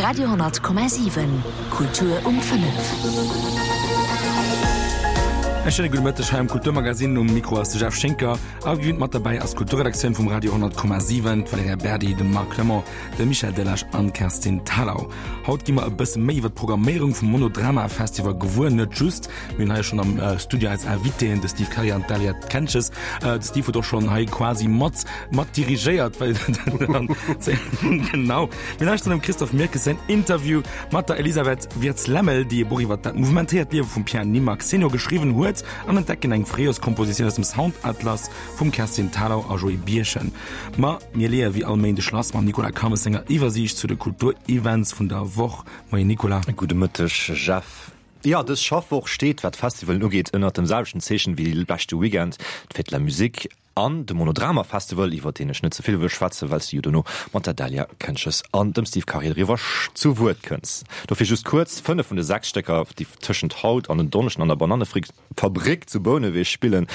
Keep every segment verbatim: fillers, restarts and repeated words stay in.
Radio honnert Komma siwen, Kultur um fënnef. E schéine gudde Mëtteg hei am Kulturmagazin. Um Mikro ass de Jeff Schinker a gewinnt mat derbäi ass d'Kulturredaktioun vum Radio honnert Komma siwen, d'Valerija Berdi, de Marc Clement, de Michel Delage an d'Kerstin Thalau. Haut gi mer e bësse méi iwwer d'Programméierung vum Monodrama Festival gewuer. Net just, mir hunn hei schonn am Studio eis Invitéen, de Steve Karier an d'Dalia Kentges. De Steve huet och schonn hei quasi mat mat dirigéiert, well genau. Mir lauschteren dem Christophe Mirkes säin Interview mat der Elisabeth Wirtz-Lemmel, déi e Buch iwwer dat mouvementéiert Liewe vum Pierre Nimax Senior geschriwwen huet, an entdecken eng Fréijorskompositioun aus dem Soundatlas vum Kerstin Thalau a Joé Birchen. Ma mir leeë wéi all Méindeg lass mam Nicolas Calmes senger Iwwersiicht zu de Kulturevents vun der Woch. Moien Nicolas. Gudde Mëtteg Jeff. Jo, dës Schaffwoch steet, wat d'Festivalen ugeet, ënnert dem selwechten Zeechen wéi de leschte Weekend, d'Fête de la Musique an de Monodrama Festival, iwwer deen ech net ze vill wëll schwätzen, well s de jo dono mat der Dalia Kentges an dem Steve Karier driwwer zu Wuert kënns. Dofir just kuerz, Fënnef vun de sechs Stécker, déi tëschent haut an en Donneschden an der Banannefabrik zu Bouneweg spillen,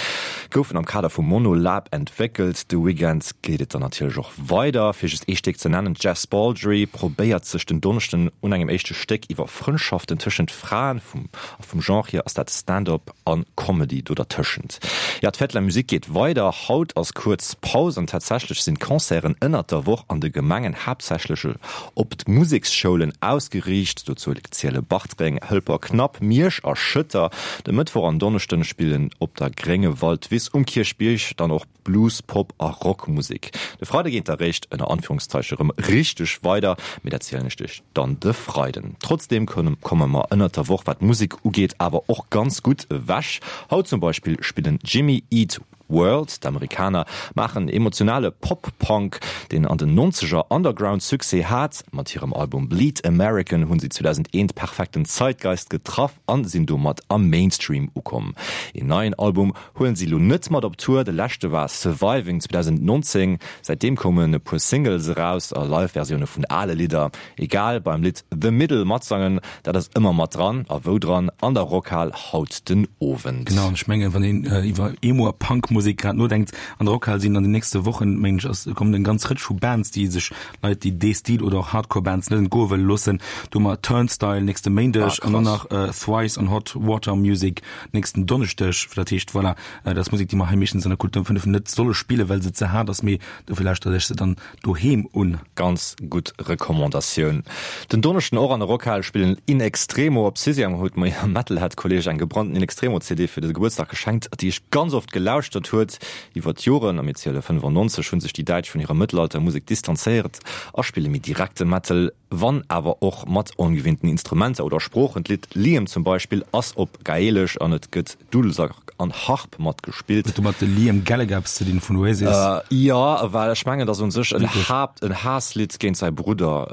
goufen am Kader vum Monolab entwéckelt. De Weekend geet et dann natierlech och weider. Fir just ee Stéck ze nennen, D'Jess Baldry probéiert sech den Donneschden un engem éischte Stéck iwwer Frëndschaften tëschent Fraen. Vum a vum Genre hier ass dat Stand-up a Comedy do dertëschent. Jo, d'Fête de la Musique geet weider. Haut ass kuerz Paus an tatsächlech sinn d'Concerten ënnert der Woch an de Gemengen haaptsächlech op d'Museksschoulen ausgeriicht. Dozou ziele Bartreng, Hëlperknapp, Miersch a Schëtter. De Mëttwoch an Donneschden spillen op der Gréngewaldwiss um Kierchbierg dann och Blues, Pop a Rockmusek. De Freide geet da réischt, ënner Anführungszeichen, erëm richteg weider, mee dat zielen ech lech dann de Freiden. Trotzdeem komme mer ënnert der Woch, wat d'Musek ugeet, awer och ganz gutt ewech. Haut zum Beispill spillen Jimmy Eat World. D'Amerikaner maachen emotionale Pop-Punk, deen an den Nonzeger Underground-Succès hat. Mat hirem Album Bleed American hunn si zweedausendeent perfekten Zeitgeist getraff an sinn domat am Mainstream ukomm. Een neien Album huelen si lo net mat op Tour, de leschte war Surviving zweedausendnonzéng. Säitdeem koumen e puer Singles eraus a Live-Versioune vun ale Lidder. Egal, beim Lidd The Middle matsangen, dat ass ëmmer mat dran. A wou dran? An der Rockhal haut den Owend. Genau, an ech mengen, wann een iwwer Emo a Punk-Musek grad nodenkt, an der Rockhal sinn an den nächste Wochen, mengen ech, ass, kommen eng ganz Rëtsch vu Bands, déi sech Leit, déi dee Stil oder och Hardcore-Bands net entgoe wëlle loossen. Do hu mer Turnstile nächste Méindeg an dann nach Thrice on Hot Water Music nächsten Donneschdeg. Dat heescht, voilà, dat ass Musek, déi mer hei meeschtens an der Kultur um fënnef net solle spillen, well se ze haart ass, mee dofir lauschtert Iech se dann doheem un. Ganz gutt Recommandatioun. Den Donneschden och an der Rockhal spillen In Extremo. Op Sixième huet mer hir Metalhead-Kolleeg eng gebrannten In Extremo-C D fir de Gebuertsdag geschenkt, déi ech ganz oft gelauschtert huet. Iwwer d'Joren, a mir ziele fënnefannonzeg, hu sech déi Däitsch vun hirer Mëttelalter-Musek distanzéiert a spille méi direkte Metal, wann awer och mat ongewinnten Instrumenter oder Sproochen. D'Lidd Liam zum Beispill ass op Gaelesch an et gëtt Dudelsack an Harp mat gespillt. Huet domat de Liam Gallagher eppes ze dinn vun Oasis? Jo, well ech mengen, et ass un sech en Haapt, en Haasslidd géint säi Brudder,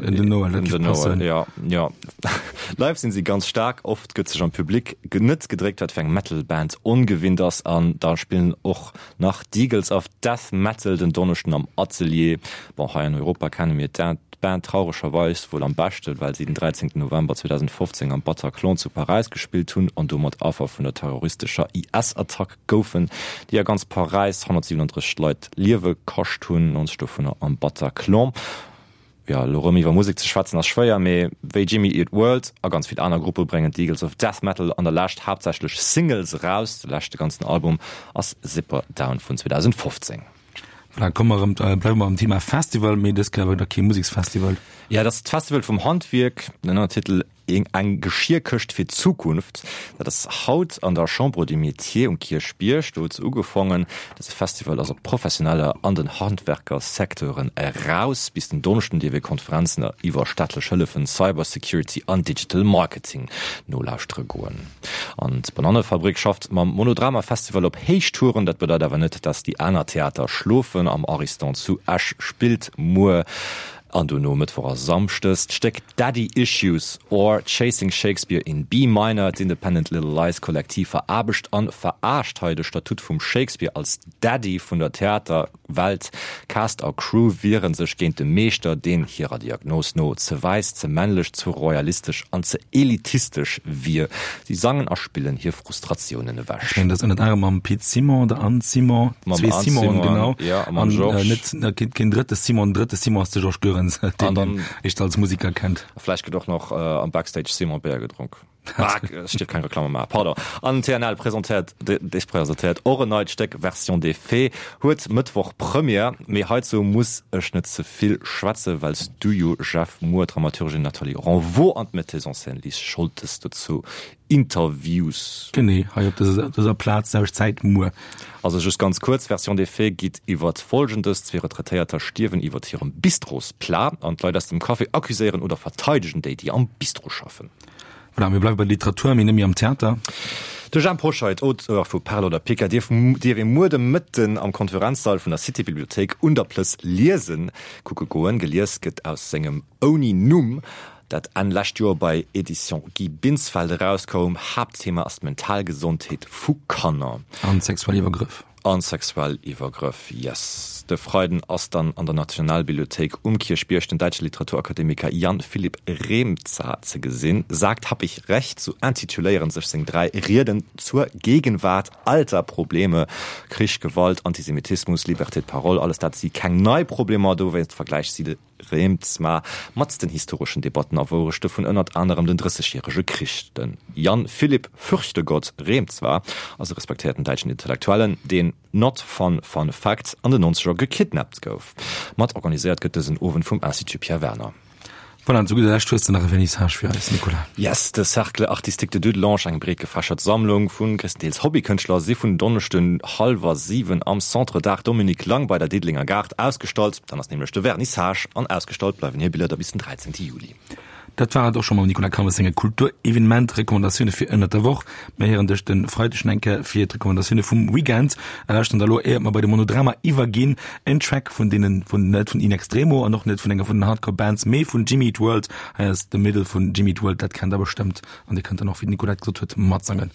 den Noel. Dat géif passen. Jo, jo. Live sinn si ganz staark, oft gëtt sech am Public net gedréckt, wat fir eng Metal-Band ongewinnt ass. An da spillen och nach d'Eagles of Death Metal den Donneschden am Atelier. Bon, hei an Europa kenne mir d'Band trauregerweis wuel am beschten, well si den dräizéngten November zweedausendfofzéng am Bataclan zu Paräis gespillt hunn an domat Affer vun der terroristescher I S-Attack goufen, déi a ganz Paräis honnertsiwenundrësseg Leit d'Liewe kascht hunn, nonzeg dovunner am Bataclan. Jo, elo rëm iwwer Musek ze schwätzen ass schwéier, mee wéi Jimmy Eat World a ganz vill aner Gruppe bréngen d'Eagles of Death Metal an der Lescht haaptsächlech Singles eraus. De leschte ganzen Album ass Zipper Down vun zweedausendfofzéng. Voilà, komme mer erëm, bleiwe mer am Thema Festival, mee dës Kéier awer da kee Museksfestival. Jo, dat ass d'Festival vum Handwierk, den Ënnertitel Eng Geschierkëscht fir d'Zukunft. Dat ass haut an der Chambre des Métiers um Kierchbierg. Do huet se ugefongen. Dëse Festival ass op Professioneller an den Handwerkersecteuren eraus. Bis den Donneschden dierf ee Konferenzen iwwer staatlech Hëllefen, Cybersecurity an Digital Marketing nolauschtere goen. An d'Banannefabrik schafft mam Monodrama Festival op Héichtouren. Dat bedeit awer net, dass déi aner Theater schlofen. Am Ariston zu Esch spillt muer an dono Mëttwoch a Samschdes d'Stéck Daddy Issues or Chasing Shakespeare in B Minor. D'Independent Little Lies Kollektiv veraarbecht an veraascht hei de Statut vum Shakespeare als Daddy vun der Theaterwelt. Cast a Crew wiere sech géint de Meeschter, deen hirer Diagnos no ze wäiss, ze männlech, ze royalistesch an ze elitistesch wier. Si sangen a spillen hir Frustratiounen ewech. Ech mengen, dat ass ënnert anerem mam Pit Simon, der Anne Simon, Mam zwee Anne Simonen, Simon, genau. ja, a mam An Georges. net, keen drëtte Simon, den drëtte Simon ass de Georges Goerens. Collins, deen dann- een als Musiker kennt. Vläicht gëtt och nach äh, am Backstage Simon Béier gedronk. Ah, ech dierf keng Reklamm maachen, pardon. An TNL presentéiert, dech presentéiert och en neit Stéck Version des Faits, huet Mëttwoch Première, mee heizou muss ech net ze vill schwätzen, well s du jo Jeff muer d'Dramaturgin Nathalie Renvaux an d'Metteuse en scène Lis Scholtes dozou interviews. Genee, hei op dëser, dëser Plaz, selwecht Zäit muer. Also just ganz kuerz, Version des Faits geet iwwert Folgendes, Zwee Retraitéierter stierwen iwwert hirem Bistrosplat an d'Leit aus dem Café accuséieren oder verteidegen déi, déi am Bistro schaffen. Voilà, mir bleiwe bei der Literatur, mee net méi am Theater. De Jhemp Hoscheit, Auteur vu Perl oder Pica, dierf dierf ee muer de Mëtten am Konferenzsall vun der City-Bibliothéik un der Plëss liesen kucke goen. Gelies gëtt aus sengem Ouni Numm, dat Enn lescht Joer bei Editions Guy Binsfeld erauskoum. Haaptthema ass d'mental Gesondheet vu Kanner. An sexuell Iwwergrëff. An sexuell Iwwergrëff, yes. De Freiden ass dann an der Nationalbibliothéik um Kierchbierg den däitsche Literaturakademiker Jan Philipp Reemtsma ze gesinn. Sagt, hab ich recht, sou intituléieren sech seng dräi Rieden zur Gegenwart alter Probleme, Krich, Gewalt, Antisemitismus, Liberté de parole, alles dat si keng nei Problemer, dowéinst vergläicht si de Reemtsma mat den historeschen Debatten a Wourechte vun ënnert anerem den Drëssegjärege Krich. Den Jan Philipp Fürchtegott Reemtsma ass e respektéierten däitschen Intellektuellen, deen, not fun fun fact, an den Nonzeger gekidnappt gouf. Mat organiséiert gëtt dësen Owend vum Institut Pierre Werner. Voilà, an zu gudder Lescht hues de nach e Vernissage fir eis, Nicolas. Yes, de Cercle Artistique de Dudelange, eng breet gefächert Sammlung vu gréisstendeels Hobbykënschtler, si vun Donneschden hallwer siwen am Centre d'Art Dominique Lang bei der Diddelenger Gare ausgestallt. Dann ass nämlech de Vernissage an ausgestallt bleiwen hir Biller da bis den dräizéngte Juli. Dat war et och scho mam Nicolas Calmes senge Kulturevenement-Recommandatioune fir ënnert der Woch. Mir héieren dech de Freideg nach eng Kéier fir d'Recommandatioune vum Weekend. A lauschteren da lo, éiert mer bei de Monodrama iwwerginn, en Track vun deenen, vun, net vun In Extremo an och net vun enger vun den Hardcore Bands, mee vun Jimmy Eat World. Hei ass The Middle vun Jimmy Eat World, dat kennt der bestëmmt an dir kënnt dann och, wéi d'Nicolette gesot huet, matsangen.